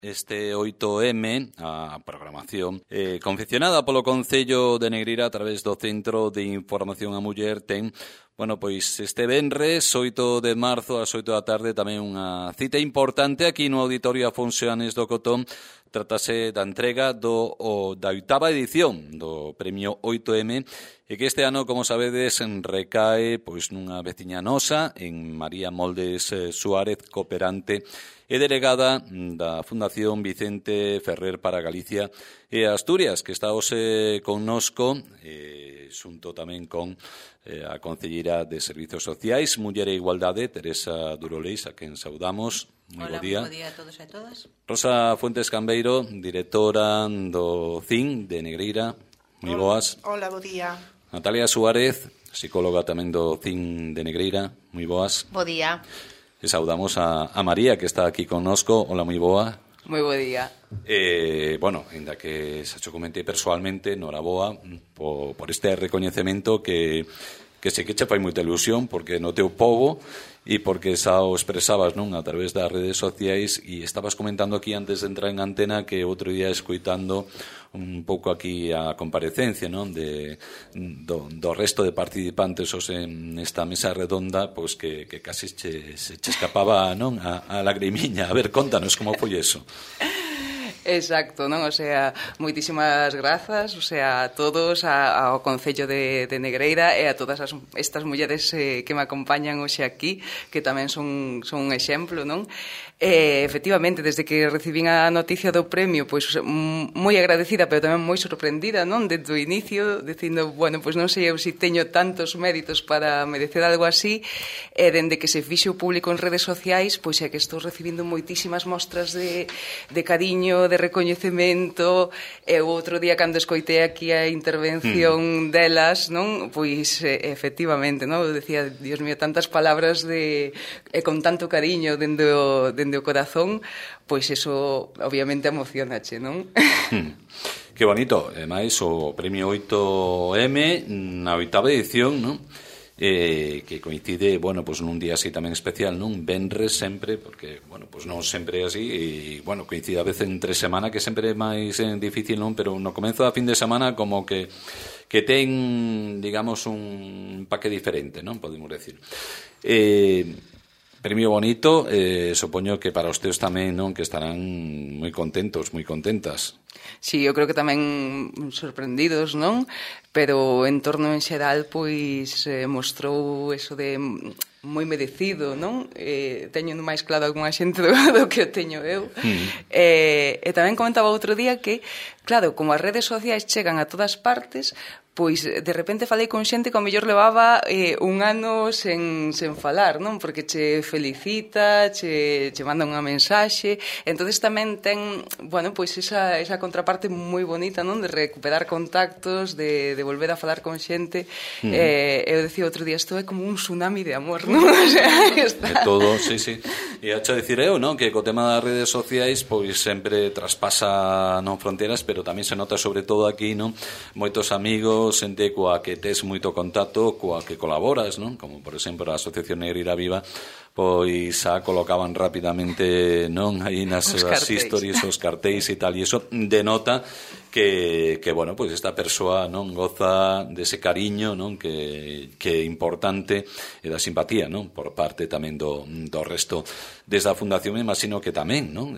Este 8M, a programación confeccionada polo Concello de Negreira a través do Centro de Información a Muller ten, bueno, pois este venres 8 de marzo ás 8 da tarde tamén unha cita importante aquí no Auditorio Afonso Anes do Cotón. Trátase da entrega da 8ª edición do Premio 8M e que este ano, como sabedes, recae pois nunha veciña nosa, en María Moldes Suárez, cooperante e delegada da Fundación Vicente Ferrer para Galicia e Asturias, que está hoxe connosco, xunto tamén con a concelleira de Servizos Sociais, Muller e Igualdade, Teresa Duroleis, a quen saudamos. Moi bo día. Moi bo día a todos e a todas. Rosa Fuentes Cambeiro, directora do CIN de Negreira. Moi boas. Hola, bo día. Natalia Suárez, psicóloga tamén do CIN de Negreira. Moi boas. Bo día. E saudamos a María, que está aquí connosco. Hola, moi boa. Moi bo día. Bueno, ainda que xa cho comentei persoalmente, noraboa por este recoñecemento que sei que che fai moita ilusión, porque no teu pobo e porque xa o expresabas, non, a través das redes sociais, e estabas comentando aquí antes de entrar en antena que outro día escoitando un pouco aquí a comparecencia, non, do resto de participantes nesta mesa redonda, pois que casi se escapaba, non, a lagrimiña. A ver, contanos como foi eso. Exacto, non? O sea, moitísimas grazas, o sea, a todos, ao Concello de Negreira e a todas estas mulleres que me acompañan hoxe aquí, que tamén son un exemplo, non? Efectivamente, desde que recibín a noticia do premio, pois moi agradecida, pero tamén moi sorprendida, non? Desde o inicio, dicindo, bueno, pois non sei eu se teño tantos méritos para merecer algo así, e dende que se fixe o público en redes sociais, pois é que estou recibindo moitísimas mostras de cariño, de recoñecemento, e o outro día cando escoitei aquí a intervención delas, non? Pois efectivamente, non? Eu decía, Dios mío, tantas palabras con tanto cariño dende o corazón, pois eso obviamente emocionache, non? Que bonito, e máis o Premio 8M na 8ª edición, non? Que coincide, bueno, pues nun día así tamén especial, non? Venres sempre, porque, bueno, pues non sempre é así, e, bueno, coincide a veces entre semana, que sempre é máis difícil, non? Pero no comezo da fin de semana como que ten, digamos, un paque diferente, non? Podemos decir. Premio bonito, supoño que para os teus tamén, non? Que estarán moi contentos, moi contentas. Sí, eu creo que tamén sorprendidos, non? Pero en torno en xeral, pois, mostrou eso de moi merecido, non? Teño máis claro algunha xente do que o teño eu. E tamén comentaba outro día que, claro, como as redes sociais chegan a todas partes, pois de repente falei con xente que ao mellor levaba un ano sen falar, non? Porque che felicita, che manda unha mensaxe, entonces tamén ten, bueno, pois esa contraparte moi bonita, non? De recuperar contactos, de volver a falar con xente. Eu decía outro día, isto é como un tsunami de amor, non? O sea, está... De todo, sí. E hacho dicir eu, non? Que co tema das redes sociais, pois sempre traspasa non fronteras, pero tamén se nota sobre todo aquí, non? Moitos amigos, xente coa que tes moito contacto, coa que colaboras, non? Como, por exemplo, a Asociación Negreira Viva, pois xa colocaban rapidamente, non? Aí nas stories, os cartéis e tal, e iso denota que bueno, pois esta persoa non goza dese cariño, non? Que é importante, e da simpatía, non? Por parte tamén do resto. Desde a Fundación, me imagino que tamén, non?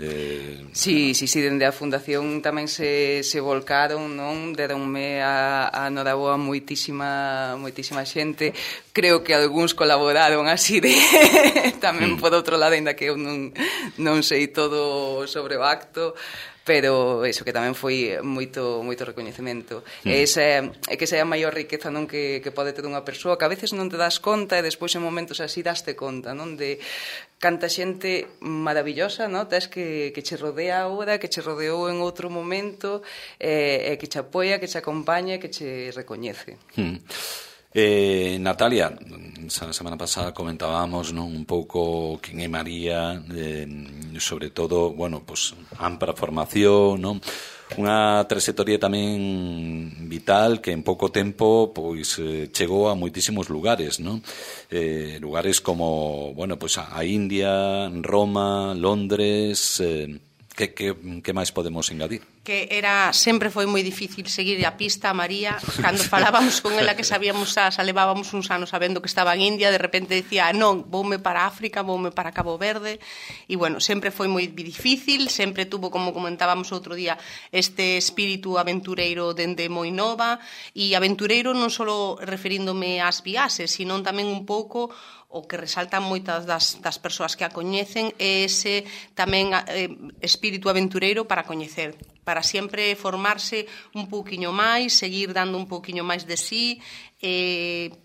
Sí, dende a Fundación tamén se volcaron, non? Deronme a noraboa moitísima xente. Creo que algúns colaboraron así de tamén por outro lado, ainda que eu non sei todo sobre o acto, pero eso que tamén foi moito recoñecemento. É que esa é a maior riqueza, non, que pode ter unha persoa, que a veces non te das conta e despois en momentos así daste conta, non, de canta xente maravillosa, non, tes que che rodea agora, que che rodeou en outro momento, e que che apoia, que che acompaña, que che recoñece. Natalia, a semana pasada comentábamos, non, un pouco quen é María, sobre todo, bueno, pues ampla formación, non? Unha trayectoria tamén vital que en pouco tempo pois chegou a moitísimos lugares, non? Lugares como, bueno, pues a India, Roma, Londres, que máis podemos engadir? Que sempre foi moi difícil seguir a pista a María. Cando falábamos con ela, que sabíamos xa levábamos uns anos sabendo que estaba en India, de repente decía, non, voume para África, voume para Cabo Verde, e bueno, sempre foi moi difícil, sempre tuvo, como comentábamos outro día, este espírito aventureiro dende moi nova, e aventureiro non só referíndome ás viaxes, sino tamén un pouco o que resaltan moitas das persoas que a coñecen é ese tamén espírito aventureiro para coñecer, para sempre formarse un pouquiño máis, seguir dando un pouquiño máis de sí.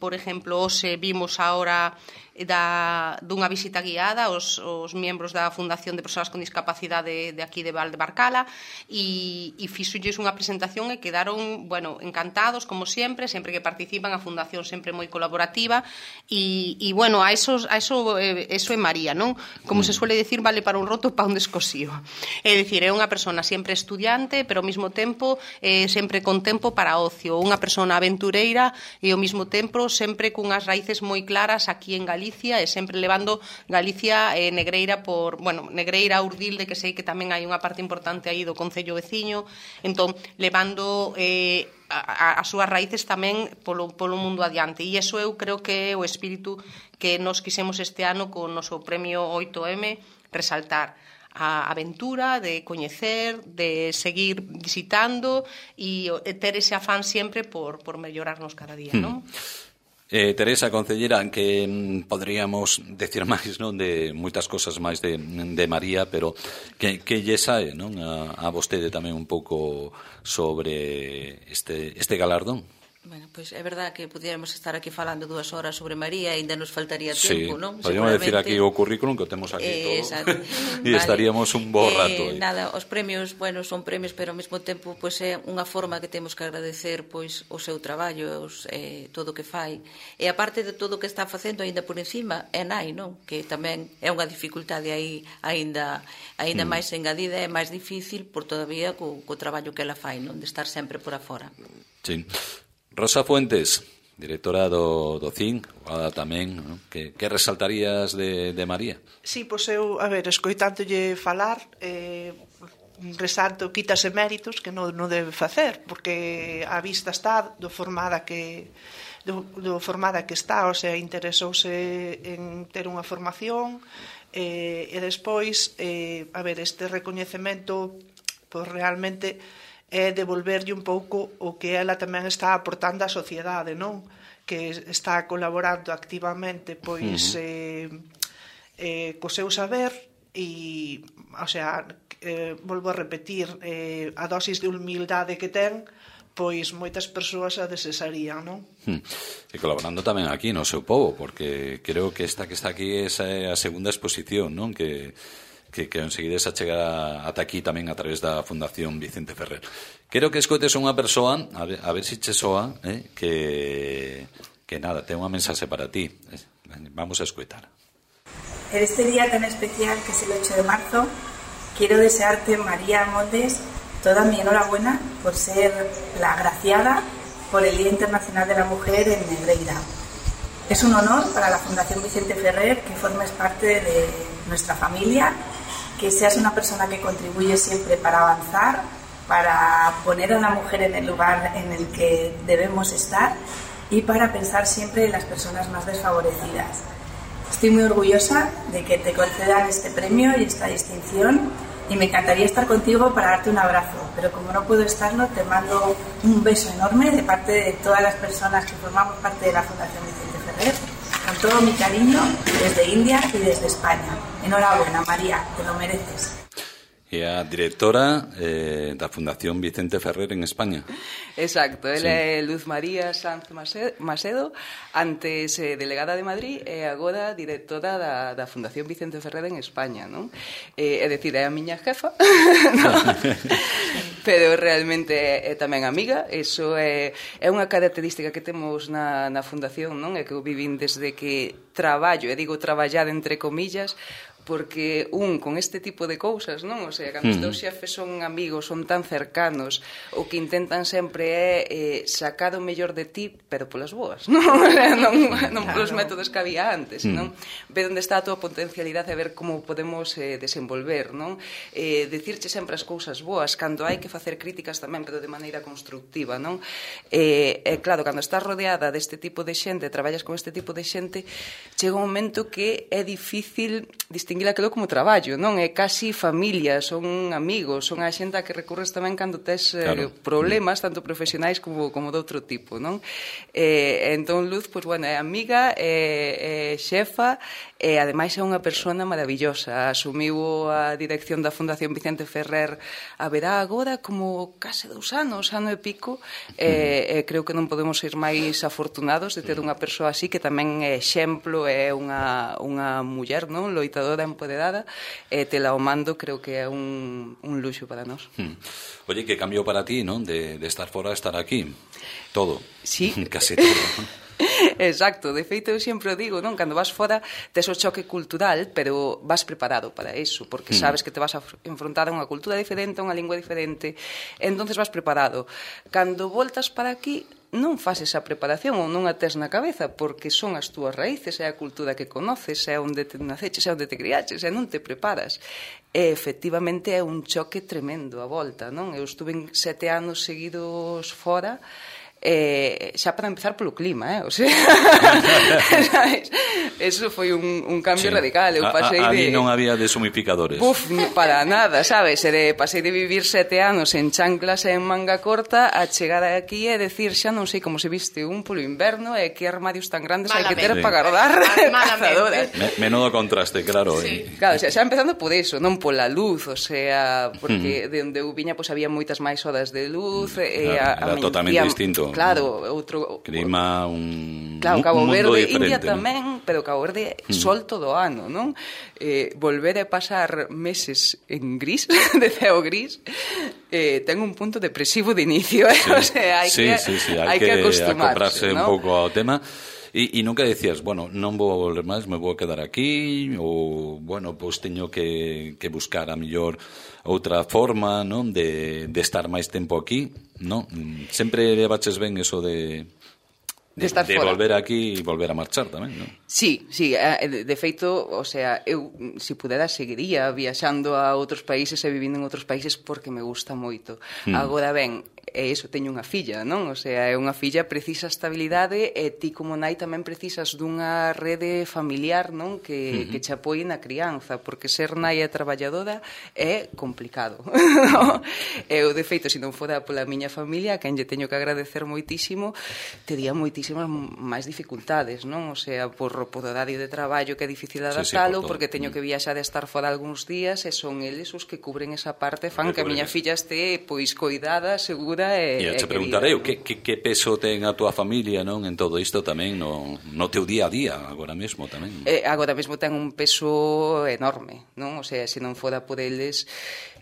Por exemplo, hoxe vimos agora dunha visita guiada os membros da Fundación de Persoas con Discapacidade de aquí de Valdebarcala e fixolles unha presentación e quedaron, bueno, encantados, como sempre que participan. A Fundación sempre moi colaborativa e bueno, eso é María, non? Como se suele decir, vale para un roto, pa un descosío. É dicir, é unha persona sempre estudiante, pero ao mesmo tempo sempre con tempo para ocio, unha persona aventureira e ao mesmo tempo sempre cunhas raíces moi claras aquí en Galicia e sempre levando Galicia e Negreira Negreira, Urdilde, que sei que tamén hai unha parte importante aí do concello veciño, entón levando as súas raíces tamén polo mundo adiante, e iso eu creo que é o espírito que nos quixemos este ano con o noso premio 8M resaltar. A aventura de coñecer, de seguir visitando e ter ese afán sempre por mellorarnos cada día, non? Teresa, concellera, que poderíamos decir máis, non, de moitas cosas máis de María, pero que lle sae, non, a vostede tamén un pouco sobre este galardón? Bueno, pois é verdad que pudiéramos estar aquí falando 2 horas sobre María e ainda nos faltaría tempo, non? Podríamos decir aquí o currículum que temos aquí todo e estaríamos un bo rato. Nada, os premios, bueno, son premios, pero ao mesmo tempo pois é unha forma que temos que agradecer pois o seu traballo, todo o que fai. E aparte de todo o que está facendo aínda por encima, é nai, non? Que tamén é unha dificultade aí aínda máis engadida, é máis difícil por todavía co traballo que ela fai, non? De estar sempre por afora. Sí. Rosa Fuentes, directora do CIN, tamén, non? Que resaltarías de María? Sí, pois eu, escoitándolle falar, resalto quítase méritos que non debe facer, porque a vista está do formada que está, o sea, interesouse en ter unha formación, e despois, este recoñecemento, pois realmente é devolverlle un pouco o que ela tamén está aportando á sociedade, non? Que está colaborando activamente pois co seu saber e, o sea, volvo a repetir, a dosis de humildade que ten, pois moitas persoas a desesarían, non? E colaborando tamén aquí no seu pobo, porque creo que esta que está aquí é a segunda exposición, non? Que conseguides chegar ata aquí tamén a través da Fundación Vicente Ferrer. Quero que escoites unha persoa, a ver se che soa, que nada, ten unha mensaxe para ti. Vamos a escoitar. En este día tan especial que es el 8 de marzo, quiero desearte, María Moldes, toda mi enhorabuena por ser la agraciada por el Día Internacional de la Mujer en Negreira. Es un honor para la Fundación Vicente Ferrer que formes parte de nuestra familia, que seas una persona que contribuye siempre para avanzar, para poner a la mujer en el lugar en el que debemos estar y para pensar siempre en las personas más desfavorecidas. Estoy muy orgullosa de que te concedan este premio y esta distinción y me encantaría estar contigo para darte un abrazo, pero como no puedo estarlo, te mando un beso enorme de parte de todas las personas que formamos parte de la Fundación Vicente Ferrer, con todo mi cariño desde India y desde España. Enhorabuena, María, te lo mereces. E a directora da Fundación Vicente Ferrer en España. Exacto, ela é Luz María Sanz Macedo, antes delegada de Madrid e agora directora da Fundación Vicente Ferrer en España, non? É dicir, é a miña jefa, pero realmente é tamén amiga. Iso é unha característica que temos na Fundación, non? É que eu vivín desde que traballo, e digo traballar entre comillas, porque con este tipo de cousas, non? O sea, cando os teus xefes son amigos, son tan cercanos, o que intentan sempre é sacar o mellor de ti, pero polas boas, non? Non polos métodos que había antes, non? Ver onde está a tua potencialidade e ver como podemos desenvolver, non? Dicirche sempre as cousas boas, cando hai que facer críticas tamén, pero de maneira constructiva, non? Claro, cando estás rodeada deste tipo de xente, traballas con este tipo de xente, chega un momento que é difícil distinguir aquilo como traballo, non? É casi familia, son amigos, son a xente a que recurres tamén cando tes problemas, tanto profesionais como de outro tipo, non? Entón Luz, pois, bueno, é amiga, é xefa, e ademais é unha persona maravillosa. Asumiu a dirección da Fundación Vicente Ferrer haberá agora como case 2 anos, ano e pico, e creo que non podemos ser máis afortunados de ter unha persoa así, que tamén é exemplo, é unha muller, non? Loitadora, empoderada, e tela ao mando, creo que é un luxo para nós. Oye, que cambiou para ti, non? De estar fora a estar aquí. Todo. Sí. Case todo, non? Exacto, de feito eu sempre o digo, non? Cando vas fora tes o choque cultural, pero vas preparado para eso, porque sabes que te vas a enfrontar a unha cultura diferente, a unha lingua diferente, entonces vas preparado. Cando voltas para aquí, non faz esa preparación ou non a tes na cabeza, porque son as túas raíces, é a cultura que conoces, é onde te naceches, é onde te criaches, e non te preparas. E efectivamente é un choque tremendo a volta, non? Eu estuve 7 anos seguidos fora, xa para empezar polo clima, o sea, eso foi un cambio radical. Eu pasei ali non había deshumificadores. Para nada, sabes? Pasei de vivir 7 anos en chanclas e en manga corta a chegar aquí e decir, xa non sei como se viste un polo inverno e que armarios tan grandes hai que ter para guardar cazadoras. Menudo contraste, claro. Claro, xa empezando por eso, non pola luz, o sea, porque de onde eu viña había moitas máis horas de luz, era totalmente distinto. Claro, outro clima, claro, Cabo Verde, diferente, India tamén, pero Cabo Verde sol todo o ano, non? Volver a pasar meses en gris, de ceo gris, ten un punto depresivo de inicio, o sea, hai que acostumarse, un pouco ao tema. E nunca decías, bueno, non vou a volver máis, me vou a quedar aquí, ou, bueno, pois teño que buscar a mellor outra forma, non, de estar máis tempo aquí, non? Sempre levaches ben eso de volver aquí e volver a marchar tamén, non? Sí, de feito, o sea, eu, se pudera, seguiría viaxando a outros países e vivindo en outros países porque me gusta moito. Agora ben, e iso, teño unha filla, non? O sea, é unha filla, precisa estabilidade e ti como nai tamén precisas dunha rede familiar, non? Que che apoie na crianza, porque ser nai e traballadora é complicado, non? Eu, de feito, se non fora pola miña familia, a quen lle teño que agradecer moitísimo, tería moitísimas máis dificultades, non? O sea, por horario de traballo que é difícil adaptalo, porque teño que viaxar e estar fora algúns días e son eles os que cubren esa parte, fan que a miña filla este, pois, coidada, segura. E te preguntarei, que peso ten a túa familia, non, en todo isto tamén no teu día a día agora mesmo tamén? Agora mesmo ten un peso enorme, non? O sea, se non fora por eles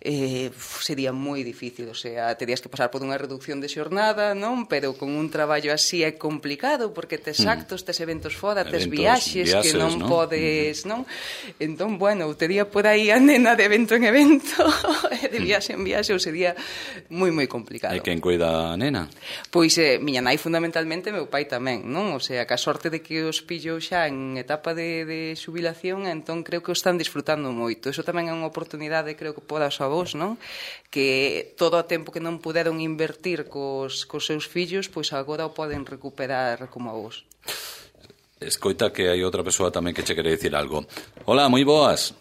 sería moi difícil, o sea, terías que pasar por unha reducción de xornada, non? Pero con un traballo así é complicado, porque tes actos, tes eventos fora, tes viaxes que non podes, non? Entón, bueno, tería por aí a nena de evento en evento, de viaxe en viaxe, ou sería moi, moi complicado. E quen cuida a nena? Pois miña nai fundamentalmente, meu pai tamén, non? O sea, que a sorte de que os pillo xa en etapa de xubilación, entón creo que o están disfrutando moito. Eso tamén é unha oportunidade, creo que para os avós, non? Que todo o tempo que non puderon invertir cos seus fillos, pois agora o poden recuperar como avós. Escoita que hai outra persoa tamén que che quere dicir algo. Hola, moi boas.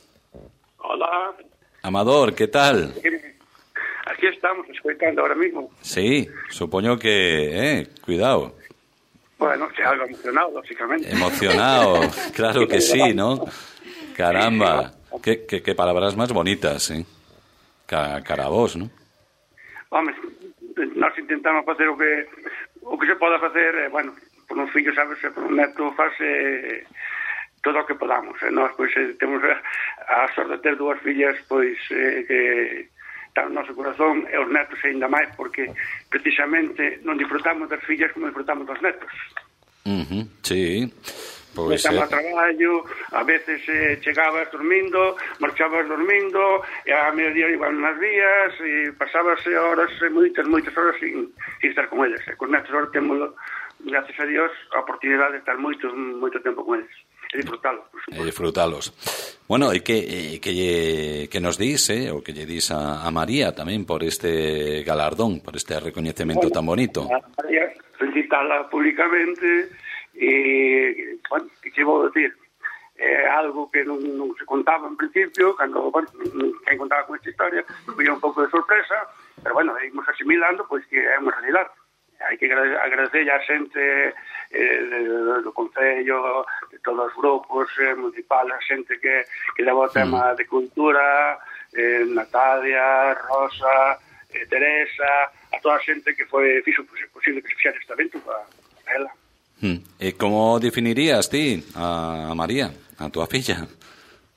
Hola. Amador, que tal? Aquí estamos, escoitando ahora mismo. Sí, supoño que, cuidado. Bueno, se algo emocionado, lógicamente. Emocionado, claro que sí, ¿no? Caramba, qué palabras más bonitas, ¿eh? Cara a vos, ¿no? Home, nós intentamos facer o que se poda facer, bueno, por un fillo, sabes, por un neto fase todo o que podamos. Nós, pois, temos a sorte de ter dúas fillas, pois, que está no noso corazón, e os netos ainda máis, porque precisamente non disfrutamos das fillas como disfrutamos dos netos. Sí. Estamos a traballo, a veces chegabas dormindo, marchabas dormindo, e a mediodía iban nas vías, e pasabas horas, moitas horas sin estar con eles. E con netos ahora temos, gracias a Dios, a oportunidade de estar moito tempo con eles. E disfrutalos. Bueno, e que nos dis, o que lle dis a María tamén por este galardón, por este recoñecemento tan bonito. A María, felicitala públicamente. E, bueno, que vou decir, é algo que non se contaba en principio, cando, bueno, quen contaba con esta historia, foi un pouco de sorpresa, pero, bueno, ímos asimilando, pois que é unha realidade. Hai que agradecer a xente do Concello, de todos os grupos municipales, a xente que leva o tema de cultura, Natalia, Rosa, Teresa, a toda a xente que fixo posible que se fixera este evento para ela. E como definirías ti a María, a tua filla?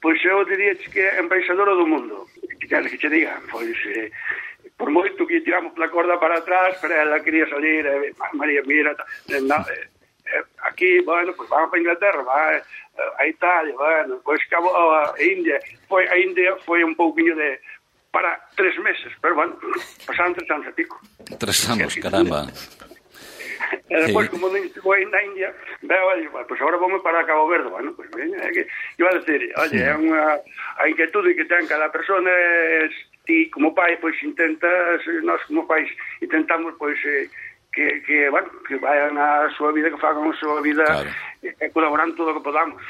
Pois eu diría que é embaixadora do mundo, que che diga, pois por moito que tiramos la corda para atrás, pero ela quería salir, María, mira, aquí, bueno, pois vamos para Inglaterra, va a Italia, bueno, pois cabo a India, a India foi un pouquinho de para 3 meses, pero bueno, pasaron 3 anos e pico. 3 anos, caramba. E despois, como foi na India, pois agora vamos para Cabo Verde. Bueno, pois iba a decir, oye, é unha a inquietude que ten cada persona, ti como pai, pois intentas, nós como pais intentamos, pois, que vayan a súa vida, que fagan a súa vida, claro, e colaboran todo o que podamos.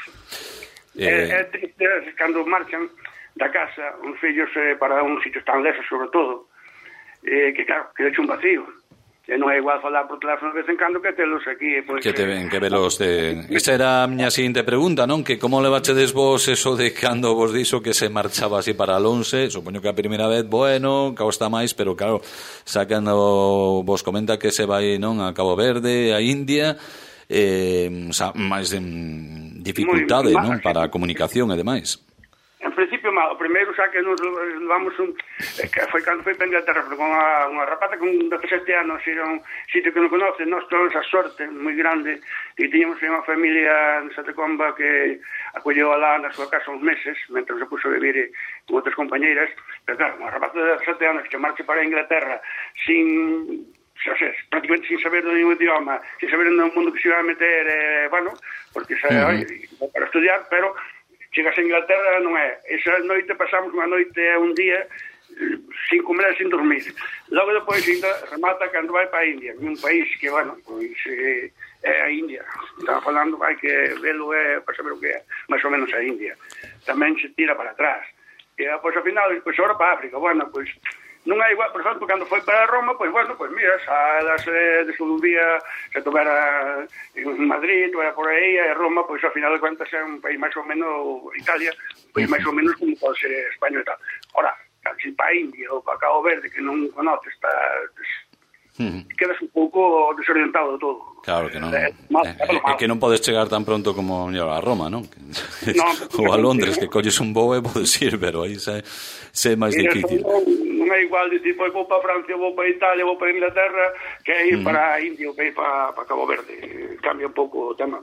É triste cando marchan da casa uns fillos para un sitio tan lejos, sobre todo, que claro, que deixa un vacío. E non é igual falar por teléfono de vez en cando que telos aquí. Pois, que te ven, que velos de... Esa era a miña seguinte pregunta, non? Que como levachedes vos eso de cando vos dixo que se marchaba así para el 11? Supoño que a primeira vez, bueno, causta máis, pero claro, xa cando vos comenta que se vai, non, a Cabo Verde, a India, máis dificultade, non? Para a comunicación e demais. En principio, mal. O primeiro xa que nos levamos que foi cando foi para Inglaterra, con unha rapata con 17 anos, era un sitio que non conoce, nós temos a sorte moi grande, e tiñamos unha familia en Santa Comba que acolleu alá na súa casa uns meses, mentre se puso a vivir con outras compañeiras, pero claro, unha rapata de 17 anos que marche para Inglaterra prácticamente sin saber do nenhum idioma, sin saber no mundo que se iba a meter, bueno, porque para estudiar, pero chegas a Inglaterra non é. Esa noite pasamos unha noite un día sin comer e sin dormir. Logo depois ainda remata cando vai para a India, un país que, bueno, pois é a India. Estaba falando, hai que velo para saber o que é, máis ou menos a India. Tamén se tira para atrás. E pois ao final, pois agora para África, bueno, pois non é igual, por exemplo, cando foi para Roma, pois, bueno, pois mira, salas de su día, se tovera en Madrid, tovera por aí, e Roma, pois, ao final de cuentas, é un país máis ou menos, Italia, pois máis ou menos como pode ser España e tal. Ora, si para India ou para Cabo Verde, que non conoces, quedas un pouco desorientado de todo. Claro que non. É que non podes chegar tan pronto como a Roma, non? Ou a Londres, que colles un voo e podes ir, pero aí é máis difícil. Non é igual dicir, pois vou para Francia, vou para Italia, vou para Inglaterra, que ir para India ou que ir para Cabo Verde. Cambia un pouco o tema,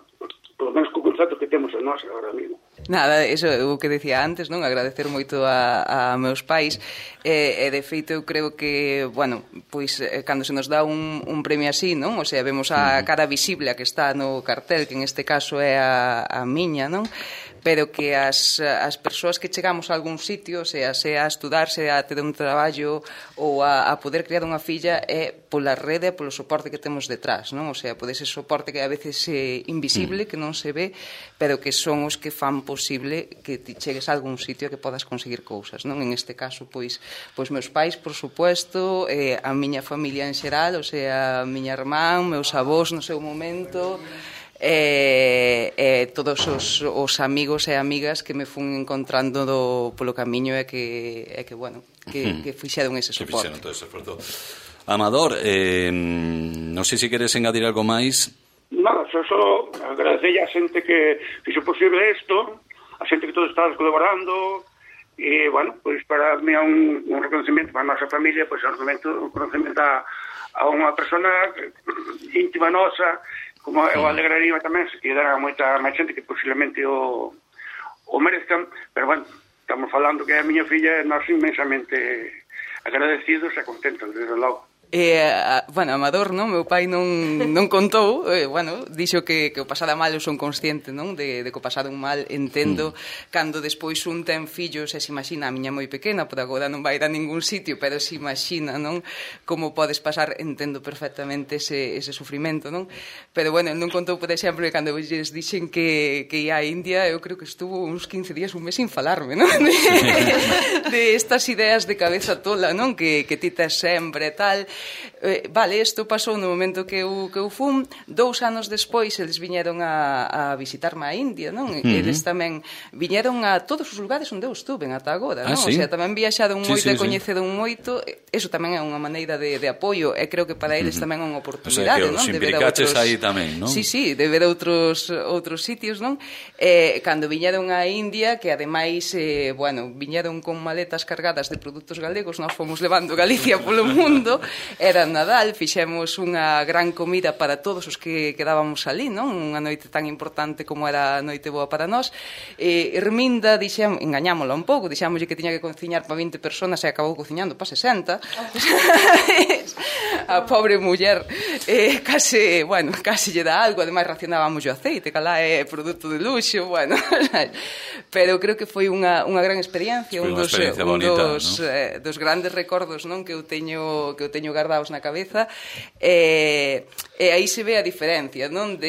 polo menos co concepto que temos en nós agora mesmo. Nada, eso é o que decía antes, non? Agradecer moito a meus pais, e de feito eu creo que, bueno, pois cando se nos dá un premio así, non? O sea, vemos a cara visible a que está no cartel, que en este caso é a miña, non? Pero que as persoas que chegamos a algún sitio, sea a estudar, sea a ter un traballo ou a poder criar unha filla, é pola rede, polo soporte que temos detrás, non? O sea, pode ser soporte que a veces é invisible, que non se ve, pero que son os que fan posible que ti chegues a algún sitio que podas conseguir cousas, non? En este caso, pois meus pais, por supuesto, a miña familia en xeral, o sea, a miña irmán, meus avós no seu momento, todos os amigos e amigas que me fun encontrando polo camiño e que bueno, que fixeron ese soporte. Que fixeron todo ese esforzo. Amador, non sei se queres engadir algo máis. Nada, só agradecer a xente que fixo posible isto, a xente que todos estás colaborando, e, bueno, pois para mí é un reconocimiento para a nosa familia, pois un reconocimiento a unha persona íntima nosa, como eu alegraría tamén se quedara moita máis xente que posiblemente o merezcan, pero bueno, estamos falando que a miña filla e nós inmensamente agradecidos e contentos, desde logo. Bueno, Amador, non? Meu pai non contou, bueno, dixo que o pasada mal eu son consciente, non? De que o pasado un mal entendo cando despois un ten fillos e se imagina, a miña moi pequena, por agora non vai ir a ningún sitio, pero se imagina, non? Como podes pasar, entendo perfectamente ese sufrimento, non? Pero bueno, non contou, por exemplo, que cando lles dixen que ia a India, eu creo que estuvo uns 15 días, un mes sin falarme, non? De estas ideas de cabeza tola, non? Que ti tes sempre e tal. Vale, isto pasou no momento que eu fun. 2 anos despois eles viñeron a visitarme a India, non? Eles tamén viñeron a todos os lugares onde eu estuve ata agora, non? Sí? O sea, tamén viaxaron moito e coñeceron moito. Eso tamén é unha maneira de apoio e creo que para eles tamén é unha oportunidade, non? O sea, que os implicaches aí tamén, non? Sí, de ver outros sitios, non? Cando viñeron a India, que ademais, bueno, viñeron con maletas cargadas de produtos galegos, nós fomos levando Galicia polo mundo. Era Nadal, fixemos unha gran comida para todos os que quedábamos ali, non? Unha noite tan importante como era a noite boa para nós. Herminda, engañámola un pouco, dixámoslle que tiña que cociñar para 20 personas e acabou cociñando para 60. A pobre muller case lle dá algo, ademais racionábamos o aceite, que lá é produto de luxo, bueno. Pero creo que foi unha gran experiencia, un dos grandes recordos, non, que eu teño gardados na cabeza, e aí se ve a diferencia, non?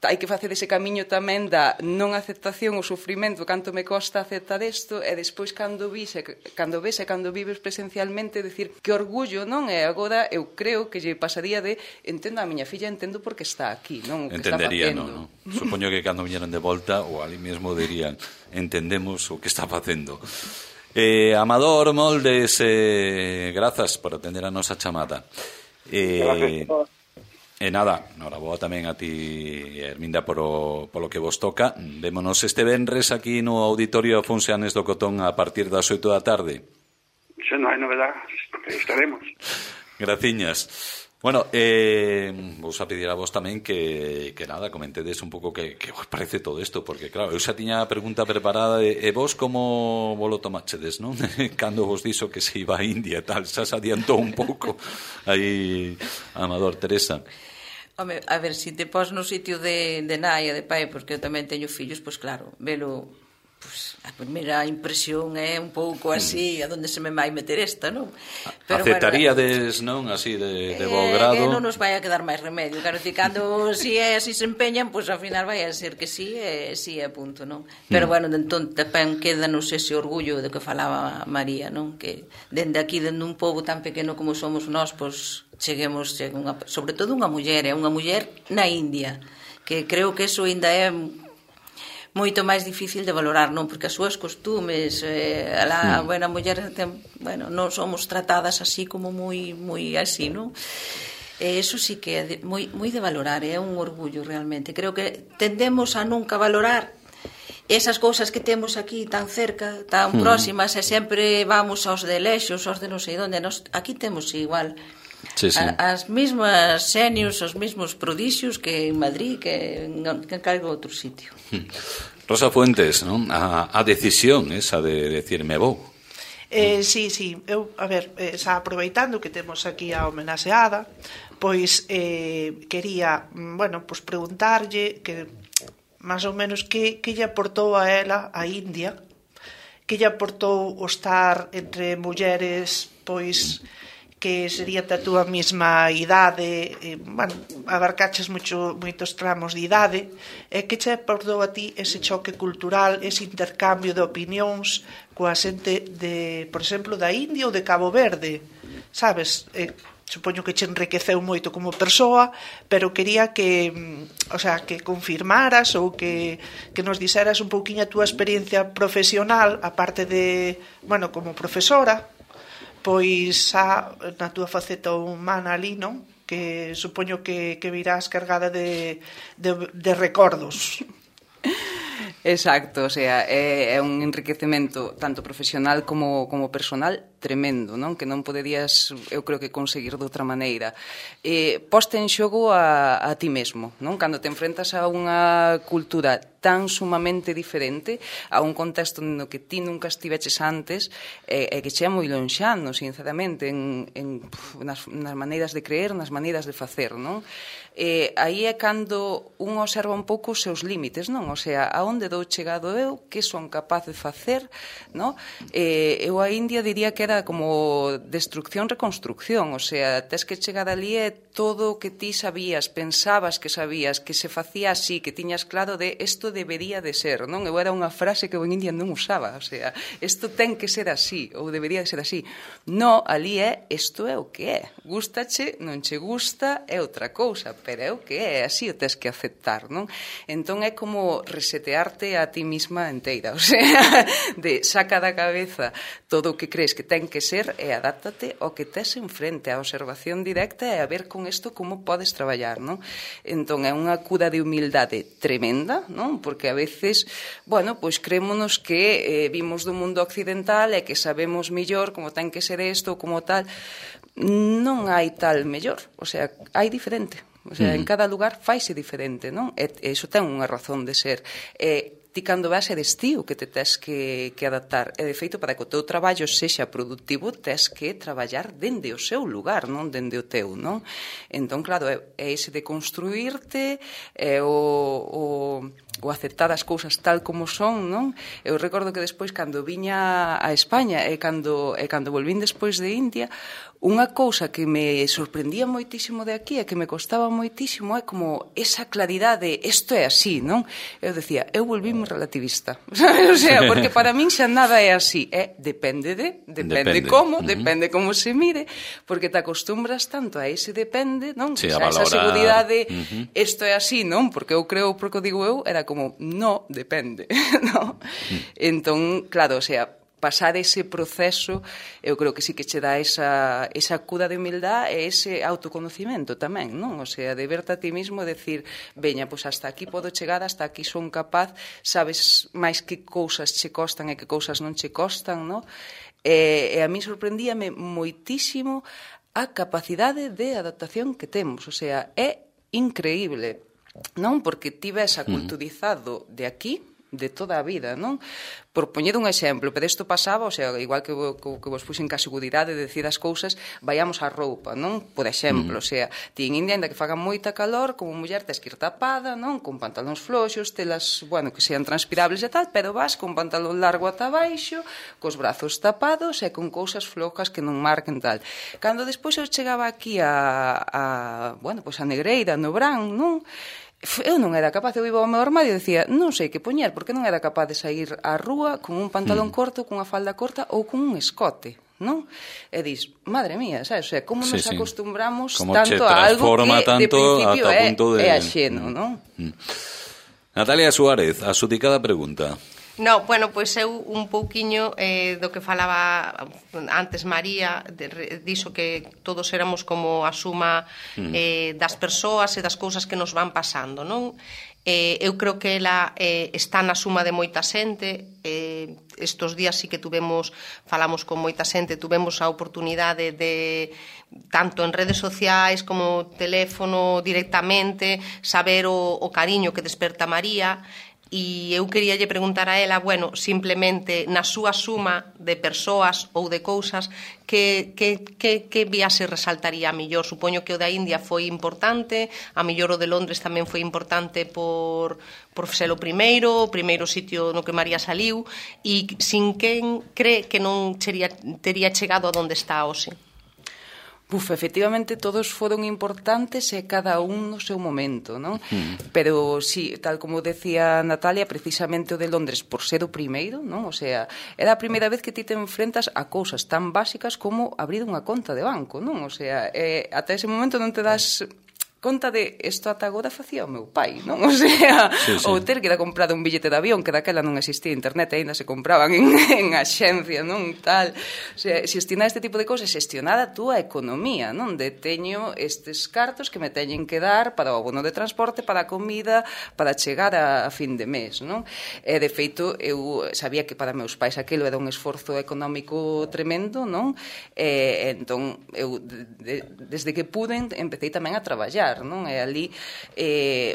Hai que facer ese camiño tamén da non aceptación, o sufrimento, canto me costa aceptar isto, e despois cando ves e cando vives presencialmente, decir que orgullo, non? E agora eu creo que lle pasaría de entendo a miña filla, entendo porque está aquí, non? O que entendería, está facendo. non? Supoño que cando viñeron de volta, ou ali mesmo dirían, entendemos o que está facendo. Amador Moldes, grazas por atender a nosa chamada. E nada, noraboa tamén a ti, Herminda, polo que vos toca. Vémonos este venres aquí no Auditorio Afonso Anes do Cotón a partir das 8 da tarde. Se non hai novedad, estaremos. Graciñas. Bueno, vos a pedir a vos tamén que nada, comentedes un pouco que vos parece todo isto, porque claro, eu xa tiña a pregunta preparada e vos como vos lo tomachedes, non? Cando vos dixo que se iba a India e tal, xa se adiantou un pouco aí, Amador, Teresa. Home, a ver, se te pos no sitio de nai e de pai, porque eu tamén teño fillos, pois claro, velo, pois a primeira impresión é un pouco así, a donde se me vai meter esta, non? Pero aceptaríades, non, así de bo grado? Que non nos vai a quedar máis remedio, claro, que cando si é así se empeñan, pois ao final vai a ser que sí, sí é punto, non? Pero bueno, entón tamén quédanos ese orgullo de que falaba María, non? Que dende aquí, dende un pobo tan pequeno como somos nós, pois cheguemos, sobre todo unha muller na India, que creo que eso ainda é moito máis difícil de valorar, non? Porque as súas costumes, a buena muller, bueno, non somos tratadas así como moi así, non? Eso sí que é moi de valorar, é un orgullo realmente. Creo que tendemos a nunca valorar esas cousas que temos aquí tan cerca, tan próximas, e sempre vamos aos de lexos, aos de non sei onde. Aquí temos igual as mesmas xenios, os mesmos prodixios que en Madrid, que en calquer outro sitio. Rosa Fuentes, non? A decisión esa de decirme vou. Sí, eu, a ver, xa aproveitando que temos aquí a homenaxeada, pois quería, bueno, pois preguntarlle que máis ou menos que lle aportou a ela a India, que lle aportou o estar entre mulleres, pois que sería da túa mesma idade, bueno, abarcaches moitos tramos de idade, que che aportou a ti ese choque cultural, ese intercambio de opinións coa xente de, por exemplo, da India ou de Cabo Verde, sabes? Supoño que che enriqueceu moito como persoa, pero quería que, o sea, que confirmaras ou que nos dixeras un pouquiño a túa experiencia profesional, aparte de, bueno, como profesora, pois xa na túa faceta humana ali, non? Que supoño que virás cargada de recordos. Exacto, o sea, é un enriquecemento tanto profesional como personal. tremendo, non? Que non poderías, eu creo que conseguir de outra maneira. Poste en xogo a ti mesmo, non? Cando te enfrentas a unha cultura tan sumamente diferente, a un contexto no que ti nunca estiveches antes, e que che é moi lonxano, sinceramente, nas maneiras de creer, nas maneiras de facer, non? Aí é cando un observa un pouco os seus límites, non? O sea, a onde dou chegado eu, que son capaz de facer, non? Eu a India diría que era como destrucción-reconstrucción, o sea, tes que chegar ali e todo o que ti sabías, pensabas que sabías, que se facía así, que tiñas claro de isto debería de ser, non? Eu era unha frase que eu en India non usaba, o sea, isto ten que ser así, ou debería de ser así. No, ali é, isto é o que é. Gústache, non che gusta, é outra cousa, pero é o que é, así o tes que aceptar, non? Entón é como resetearte a ti misma inteira, o sea, de saca da cabeza todo o que crees que ten que ser e adáptate ao que tes enfrente, a observación directa e a ver con isto como podes traballar, non? Entón é unha cura de humildade tremenda, non? Porque a veces, bueno, pois creémonos que vimos do mundo occidental e que sabemos mellor como ten que ser isto ou como tal. Non hai tal mellor, o sea, hai diferente. O sea, en cada lugar faise diferente, non? E iso ten unha razón de ser. Ti cando vas eres ti o que te tes que adaptar. E de feito, para que o teu traballo sexa productivo, tes que traballar dende o seu lugar, non dende o teu, non? Entón, claro, é ese de construirte, é o aceptar as cousas tal como son, non? Eu recordo que despois, cando viña a España e cando volvín despois de India, unha cousa que me sorprendía moitísimo de aquí e que me costaba moitísimo é como esa claridade, isto é así, non? Eu decía, eu volvíme relativista, sabes? O sea, porque para min xa nada é así, depende como, depende como se mire, porque te acostumbras tanto a ese depende, non? Sí, a esa seguridade, isto é así, non? Porque eu creo, porque o digo eu, era como, no, depende, non? Entón, claro, o sea, pasar ese proceso, eu creo que sí que che dá esa cura de humildade e ese autoconocimento tamén, non? O sea, de verte a ti mismo e decir, veña, pois hasta aquí podo chegar, hasta aquí son capaz, sabes máis que cousas che costan e que cousas non che costan, non? E a mí sorprendíame moitísimo a capacidade de adaptación que temos, o sea, é increíble, non? Porque ti ves aculturizado de aquí, de toda a vida, non? Por poñer un exemplo, pero isto pasaba, o sea, igual que vos puxen ca seguridade de decir as cousas, vayamos á roupa, non? Por exemplo, o sea, ti en India, ainda que faga moita calor, como muller tes que ir tapada, non? Con pantalóns floxos, telas, bueno, que sean transpirables e tal, pero vas con pantalón largo ata baixo, cos brazos tapados e con cousas flojas que non marquen tal. Cando despois eu chegaba aquí bueno, pois a Negreira, no Brán, non? Eu non era capaz, eu iba ao meu armario e dicía, non sei que poñer, porque non era capaz de sair á rúa con un pantalón corto, cunha falda corta ou con un escote, non? E dis, madre mía, sabes? O sea, como nos acostumbramos como tanto a algo que de principio é axeno, non? Natalia Suárez, a xudicada pregunta. No, bueno, pois eu un pouquiño do que falaba antes María, dixo que todos éramos como a suma das persoas e das cousas que nos van pasando, non? Eu creo que ela está na suma de moita xente. Estos días sí que falamos con moita xente, tuvemos a oportunidade de, tanto en redes sociais como teléfono directamente, saber o cariño que desperta María. E eu queríalle preguntar a ela, bueno, simplemente na súa suma de persoas ou de cousas, que viaxe resaltaría a mellor? Supoño que o da India foi importante, a mellor o de Londres tamén foi importante por ser o primeiro sitio no que María saliu, e sin quen cree que non tería chegado a donde está hoxe? Efectivamente, todos foron importantes e cada un no seu momento, non? Pero, sí, tal como decía Natalia, precisamente o de Londres, por ser o primeiro, non? O sea, era a primeira vez que ti te enfrentas a cousas tan básicas como abrir unha conta de banco, non? O sea, ata ese momento non te das conta de isto ata agora facía o meu pai, non? O sea, ou ter que ir a comprar un billete de avión, que daquela non existía internet, aínda se compraban en axencia, non? Tal. O sea, xestionar este tipo de cousas, xestionar a túa economía, non? De teño estes cartos que me teñen que dar para o abono de transporte, para a comida, para chegar a fin de mes, non? E, de feito, eu sabía que para meus pais aquilo era un esforzo económico tremendo, non? Entón, eu, desde que puden, empecé tamén a traballar, non? E ali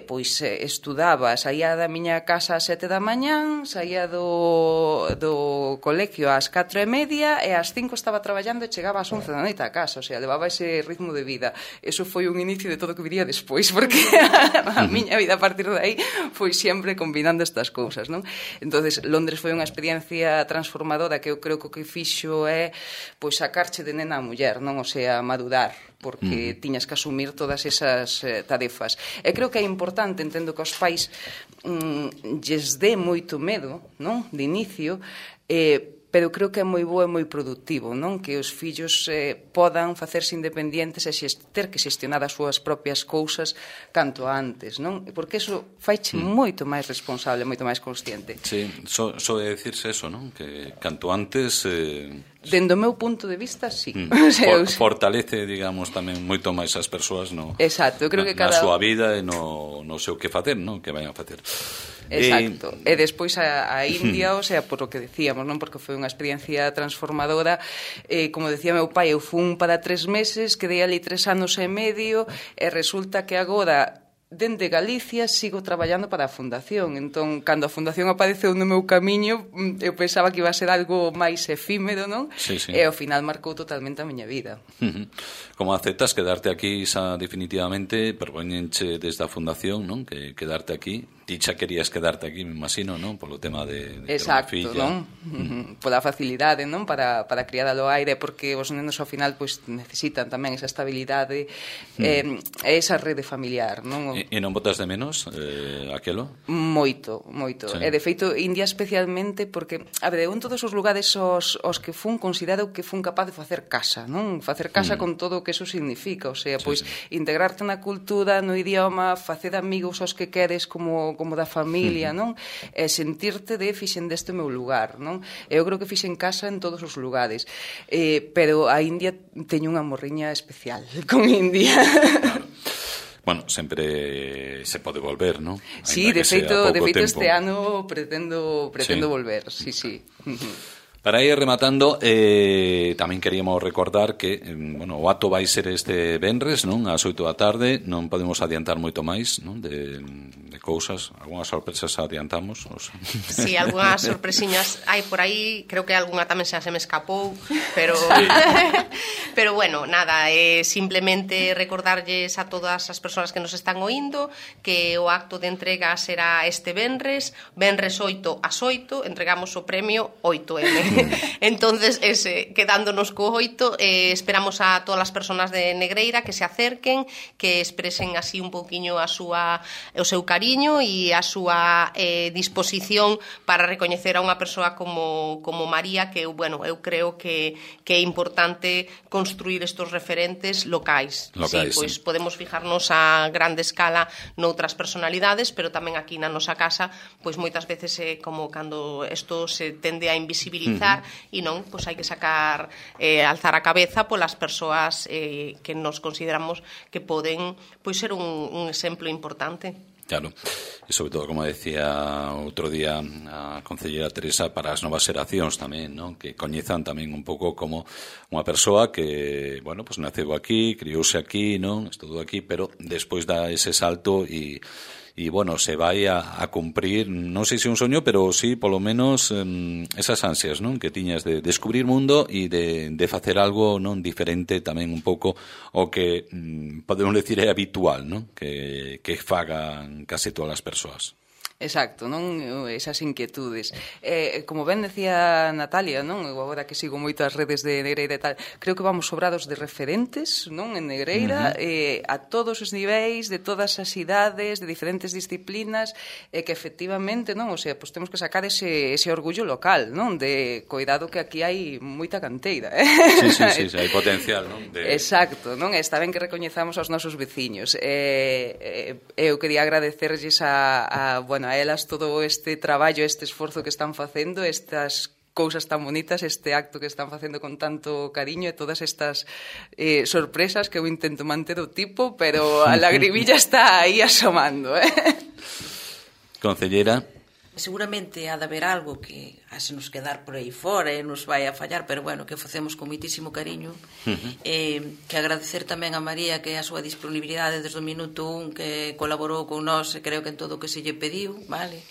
pois estudaba, saía da miña casa ás 7 da mañán, saía do colegio ás 4:30 e ás 5 estaba traballando e chegaba ás 11 da noite a casa, o sea, levaba ese ritmo de vida. Eso foi un inicio de todo o que viría despois, porque a miña vida a partir de aí foi sempre combinando estas cousas, non? Entonces, Londres foi unha experiencia transformadora que eu creo que o que fixo é pois sacarche de nena a muller, non? O sea, madurar, porque tiñas que asumir todas esas tarefas. E creo que é importante, entendo que aos pais lles dé moito medo, non? De inicio, pero creo que é moi bo e moi productivo, non? Que os fillos podan facerse independentes e ter que xestionar as súas propias cousas canto antes, non? Porque eso faiche moito máis responsable, moito máis consciente. Sí, só de decirse eso, non? Que canto antes... Dende o meu punto de vista, sí. Fortalece, digamos, tamén moito máis as persoas Exacto, eu creo que na súa vida e no seu que facer, non? Que vayan a facer. Exacto. E despois a India, o sea, por o que decíamos, non? Porque foi unha experiencia transformadora. Como decía meu pai, eu fun para 3 meses, quedei ali 3 anos e medio, e resulta que agora... dende Galicia sigo traballando para a Fundación. Entón, cando a Fundación apareceu no meu camiño, eu pensaba que iba a ser algo máis efímero, non? Sí, sí. E ao final marcou totalmente a miña vida. Como aceptas quedarte aquí definitivamente, propoñenche desde a Fundación, non? Que quedarte aquí. Ti xa querías quedarte aquí, me imagino, non? Polo tema de Exacto, ter unha filla. Non? Pola facilidade, non? Para criar ao aire, porque os nenos ao final pois necesitan tamén esa estabilidade e esa rede familiar, non? E non botas de menos aquelo? Moito, moito. Sí. E de feito, India especialmente porque, a ver, en todos os lugares os que fun, considero que fun capaz de facer casa, non? Facer casa con todo o que eso significa, o sea, pois integrarte na cultura, no idioma, facer amigos aos que queres como da familia, non? E sentirte fixen deste o meu lugar, non? Eu creo que fixen casa en todos os lugares. Pero a India teño unha morriña especial con India. Claro. Bueno, sempre se pode volver, non? Sí, de feito este ano pretendo volver, sí. Para ir rematando, tamén queríamos recordar que, o acto vai ser este venres, non? Ás 8 da tarde, non podemos adiantar moito máis, non? De cousas, algunhas sorpresas adiantamos. Sí, algunhas sorpresiñas hai por aí, creo que algunha tamén xa se me escapou, pero pero bueno, nada, simplemente recordarlles a todas as persoas que nos están oindo que o acto de entrega será este venres 8 ás 8, entregamos o premio 8M. Entonces, quedándonos co 8, esperamos a todas as persoas de Negreira que se acerquen, que expresen así un pouquiño o seu cariño e a súa disposición para recoñecer a unha persoa como María, que eu creo que é importante construir estos referentes locais. Sí, pois podemos fijarnos a grande escala noutras personalidades, pero tamén aquí na nosa casa, pois moitas veces como cando isto se tende a invisibilizar e non, pois hai que sacar alzar a cabeza polas persoas que nos consideramos que poden pois ser un exemplo importante. Claro, e sobre todo, como decía outro día a concelleira Teresa, para as novas xeracións tamén, non? Que coñezan tamén un pouco como unha persoa que, pues naceu aquí, criouse aquí, non? Estudou aquí, pero despois dá ese salto e se vai a cumprir, non sei se un soño, pero sí, polo menos esas ansias, non? Que tiñas de descubrir mundo e de facer algo non diferente tamén un pouco o que podemos decir é habitual, non? Que fagan case todas as persoas. Exacto, non? Esas inquietudes. Como ben decía Natalia, non? Eu agora que sigo moito as redes de Negreira e tal, creo que vamos sobrados de referentes, non? En Negreira, a todos os niveis, de todas as idades, de diferentes disciplinas, que efectivamente, non? O sea, pues temos que sacar ese orgullo local, non? De cuidado que aquí hai moita canteira, Sí, hai potencial, non? Exacto, non? Está ben que recoñezamos aos nosos veciños. Eu quería agradecerlles a elas todo este traballo, este esforzo que están facendo, estas cousas tan bonitas, este acto que están facendo con tanto cariño e todas estas sorpresas que eu intento manter o tipo, pero a lagrimilla está aí asomando, Concellera. Seguramente ha de haber algo que se nos quedar por aí fora e nos vai a fallar, pero bueno, que facemos con moitísimo cariño. Que agradecer tamén a María que a súa disponibilidade desde o minuto 1 que colaborou con nós, creo que en todo o que se lle pediu, vale?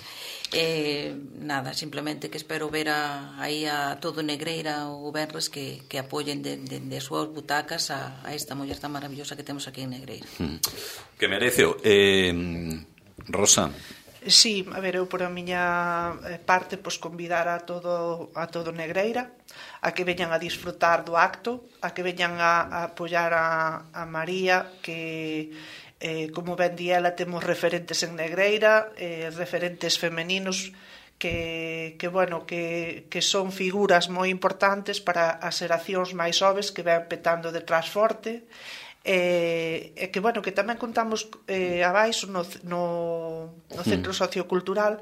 Nada, simplemente que espero ver aí a todo Negreira o venres que apoyen de as súas butacas a esta muller tan maravillosa que temos aquí en Negreira. Que mereceo. Rosa. Sí, a ver, eu por a miña parte convidar a todo Negreira a que veñan a disfrutar do acto, a que veñan a apoiar a María, que como ben di ela, temos referentes en Negreira, referentes femeninos que son figuras moi importantes para as xeracións máis xoves que ven petando detrás forte. Que tamén contamos abaixo no Centro Sociocultural,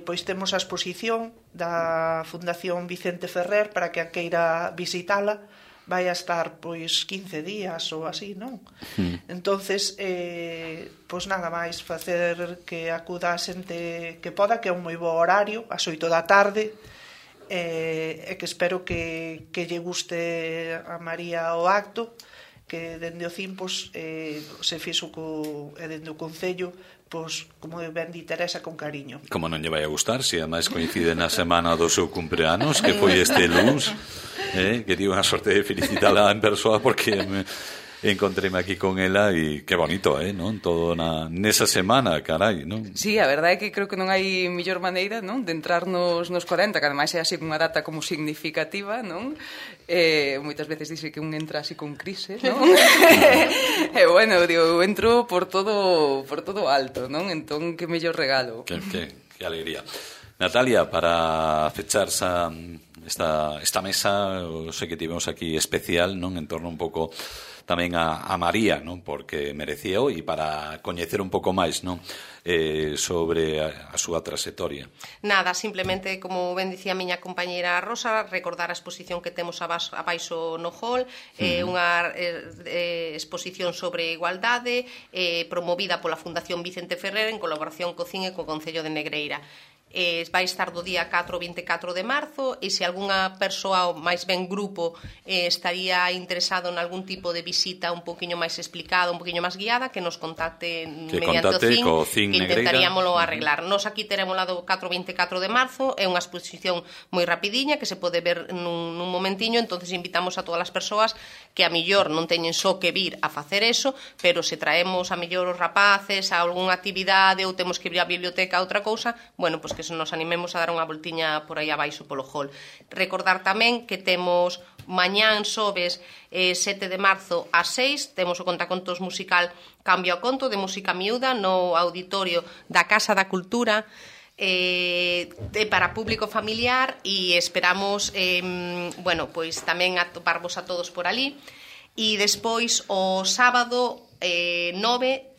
pois temos a exposición da Fundación Vicente Ferrer para que a queira visitala, vai a estar pois 15 días ou así, non? Entonces, pois nada máis facer que acuda a xente que poda, que é un moi bo horario, ás 8 da tarde, e que espero que lle guste a María o acto, que dende o CIM se fixo dende o Concello, como ben di Teresa, con cariño. Como non lle vai a gustar, se ademais coincide na semana do seu cumpleanos, que foi este luns, que tive unha sorte de felicitala en persoa porque encontréme aquí con ela e que bonito, non? Todo nesa semana, carai, non? Sí, a verdade é que creo que non hai mellor maneira, non? De entrar nos 40, que ademais é así unha data como significativa, non? Moitas veces dice que un entra así con crise, non? E bueno, digo, eu entro por todo alto, non? Entón, que mellor regalo. Que alegría. Natalia, para fechar esta mesa, sei que tivemos aquí especial, non? En torno un pouco tamén a María, non? Porque merecía e para coñecer un pouco máis, non? Sobre a súa trayectoria. Nada, simplemente, como ben dicía a miña compañeira Rosa, recordar a exposición que temos abaixo no hall, unha exposición sobre igualdade, promovida pola Fundación Vicente Ferrer en colaboración co CIN e co Concello de Negreira. Vai estar do día 4 ao 24 de marzo e se algunha persoa ou máis ben grupo estaría interesado en algún tipo de visita un poquinho máis explicada, un poquinho máis guiada, que nos contacte mediante o CIN, que intentaríamoslo arreglar. Nos aquí teremos lá do 4 ao 24 de marzo, é unha exposición moi rapidiña que se pode ver nun momentiño, entonces invitamos a todas as persoas que a millor non teñen só que vir a facer eso, pero se traemos a millor os rapaces a algunha actividade ou temos que ir á biblioteca a outra cousa, bueno, pois que nos animemos a dar unha voltiña por aí abaixo polo hall. Recordar tamén que temos mañán xoves 7 de marzo ás 6, temos o contacontos musical Cambio a Conto de música miúda no auditorio da Casa da Cultura, para público familiar, e esperamos pois tamén atoparvos a todos por ali. E despois o sábado 9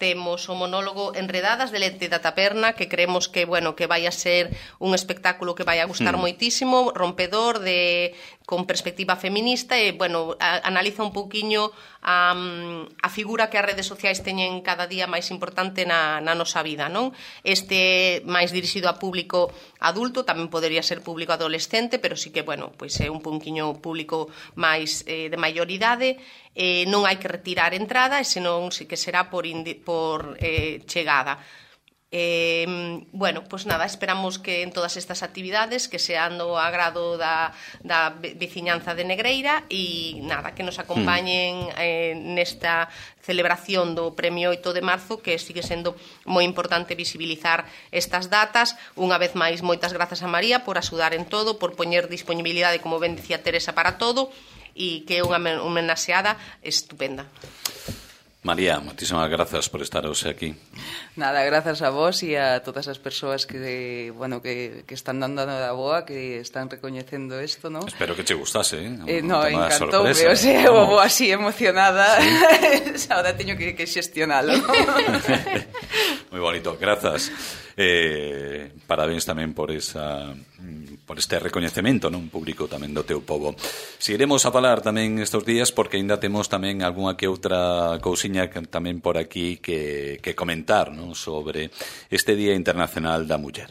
temos o monólogo Enredadas de Lete da Taperna, que creemos que vai a ser un espectáculo que vai a gustar moitísimo, rompedor, con perspectiva feminista, e analiza un pouquiño a figura que as redes sociais teñen cada día máis importante na nosa vida, non? Este máis dirixido a público adulto, tamén podería ser público adolescente, pero sí que, pois é un pouquiño público máis de maioridade. Non hai que retirar entrada, e senón sí que será por chegada. Bueno, pois nada, esperamos que en todas estas actividades que sean do agrado da veciñanza de Negreira e nada, que nos acompañen nesta celebración do Premio 8 de marzo, que sigue sendo moi importante visibilizar estas datas. Unha vez máis, moitas grazas a María por axudar en todo, por poñer disponibilidade, como ben dicía Teresa, para todo, e que é unha homenaxeada estupenda. María, moitísimas grazas por estar hoxe aquí. Nada, grazas a vos e a todas as persoas que están dando a boa, que están recoñecendo isto, ¿no? Espero que che gustase, no, encantoume, o sea, vou así emocionada, ¿sí? Ahora teño que xestionalo, ¿no? Moi bonito, grazas. Parabéns tamén por este recoñecemento, non, público tamén do teu povo. Seguiremos a falar tamén estes días, porque ainda temos tamén algunha que outra cousiña tamén por aquí que comentar, non, sobre este Día Internacional da Muller.